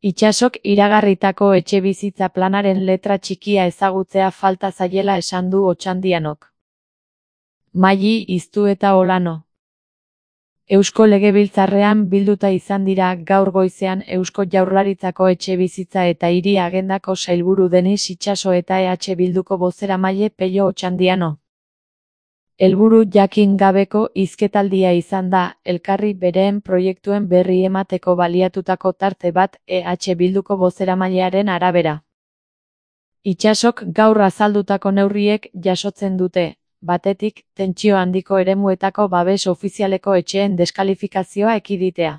Itsasok iragarritako etxebizitza planaren letra txikia ezagutzea falta zaiela esan du Otxandianok. Maili Iztu eta Olano. Eusko Legebiltzarrean bilduta izan dira gaur goizean Eusko Jaurlaritzako etxebizitza eta hiri agendako sailburu Denis Itxaso eta EH Bilduko bozeramaile Pello Otxandiano. Helburu jakin gabeko hizketaldia izan da, elkarri bereen proiektuen berri emateko baliatutako tarte bat EH Bilduko bozeramailearen arabera. Itxasok gaur azaldutako neurriek jasotzen dute, batetik, tentsio handiko eremuetako babes ofizialeko etxeen deskalifikazioa ekiditea.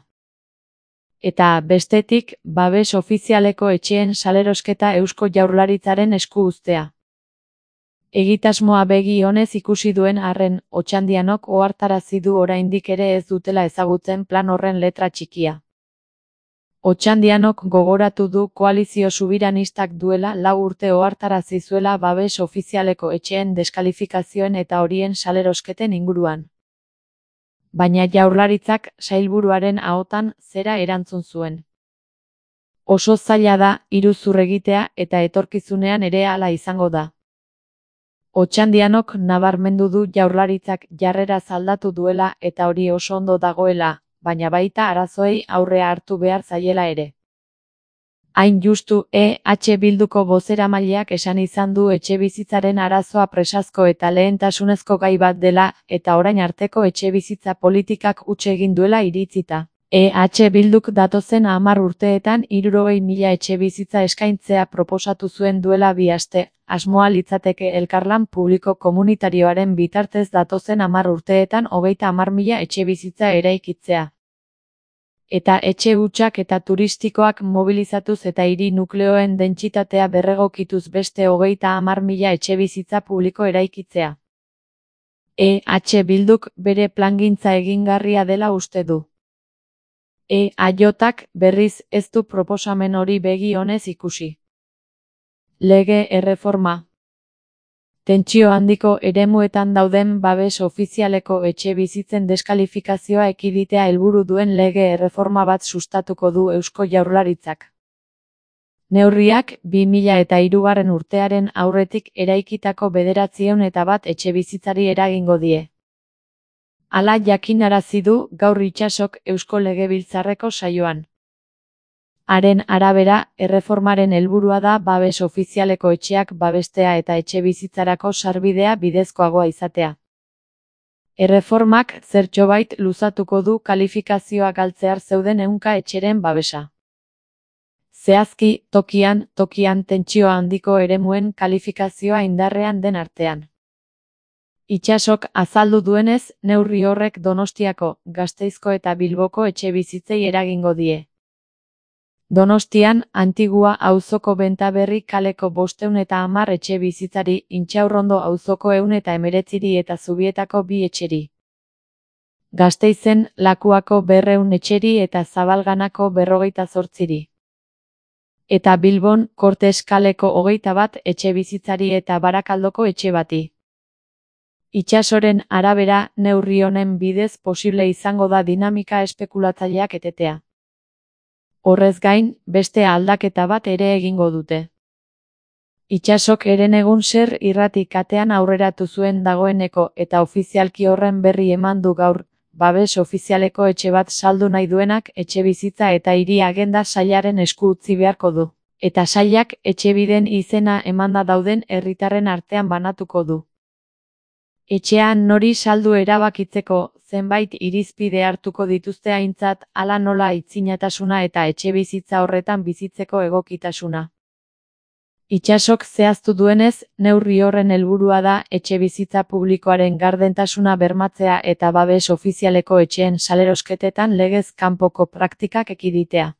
Eta, bestetik, babes ofizialeko etxeen salerosketa Eusko Jaurlaritzaren esku uztea. Egitasmoa begi onez ikusi duen arren, Otxandianok ohartarazi du oraindik ere ez dutela ezagutzen plan horren letra txikia. Otxandianok gogoratu du koalizio subiranistak duela 4 urte ohartarazi zuela babes ofizialeko etxeen deskalifikazioen eta horien salerosketen inguruan. Baina Jaurlaritzak sailburuaren ahotan zera erantzun zuen. Oso zaila da iruzur egitea eta etorkizunean ere hala izango da. Otxandianok nabarmendu du Jaurlaritzak jarrera aldatu duela eta hori oso ondo dagoela, baina baita arazoei aurrea hartu behar zaiela ere. Hain justu EH Bilduko bozeramaileak esan izan du etxebizitzaren arazoa presazko eta lehentasunezko gai bat dela eta orain arteko etxebizitza politikak huts egin duela iritzita. EH Bilduk datozen 10 urteetan 60.000 etxebizitza eskaintzea proposatu zuen duela 2 aste, asmoa litzateke elkarlan publiko komunitarioaren bitartez datozen 10 urteetan 30.000 etxebizitza eraikitzea. Eta etxe hutsak eta turistikoak mobilizatuz eta hiri nukleoen dentsitatea berregokituz beste 30.000 etxebizitza publiko eraikitzea. EH Bilduk bere plangintza egingarria dela uste du. EAJak berriz ez du proposamen hori begi onez ikusi. Lege erreforma. Tentsio handiko eremuetan dauden babes ofizialeko etxe bizitzen deskalifikazioa ekiditea helburu duen lege erreforma bat sustatuko du Eusko Jaurlaritzak. Neurriak 2003 urtearen aurretik eraikitako 901 etxebizitzari eragingo die. Hala jakinarazi du gaur Itsasok Eusko Legebiltzarreko saioan. Haren arabera, erreformaren helburua da babes ofizialeko etxeak babestea eta etxebizitzarako sarbidea bidezkoagoa izatea. Erreformak zertxobait luzatuko du kalifikazioa galtzear zeuden 100 etxeren babesa. Zehazki, tokian tentsio handiko eremuen kalifikazioa indarrean den artean. Itsasok azaldu duenez, neurri horrek Donostiako, Gasteizko eta Bilboko etxebizitzei eragingo die. Donostian, Antigua auzoko Bentaberri kaleko 510 etxebizitzari, Intxaurrondo auzoko 119 eta Zubietako 2 etxeri. Gasteizen, Lakuako 200 etxeri eta Zabalganako 58. Eta Bilbon, Kortes kaleko 21 etxebizitzari eta Barakaldoko etxe bati. Itsasoren arabera, neurri honen bidez posible izango da dinamika espekulatzaileak etetea. Horrez gain, beste aldaketa bat ere egingo dute. Itsasok Herenegun Ser irrati katean aurreratu zuen dagoeneko eta ofizialki horren berri eman du gaur, babes ofizialeko etxe bat saldu nahi duenak etxebizitza eta hiri agenda sailaren esku utzi beharko du. Eta sailak etxebiden izena emanda dauden herritarren artean banatuko du. Etxean nori saldu erabakitzeko, zenbait irizpide hartuko dituzte aintzat, hala nola aitzinatasuna eta etxebizitza horretan bizitzeko egokitasuna. Itsasok zehaztu duenez, neurri horren helburua da etxebizitza publikoaren gardentasuna bermatzea eta babes ofizialeko etxeen salerosketetan legez kanpoko praktikak ekiditea.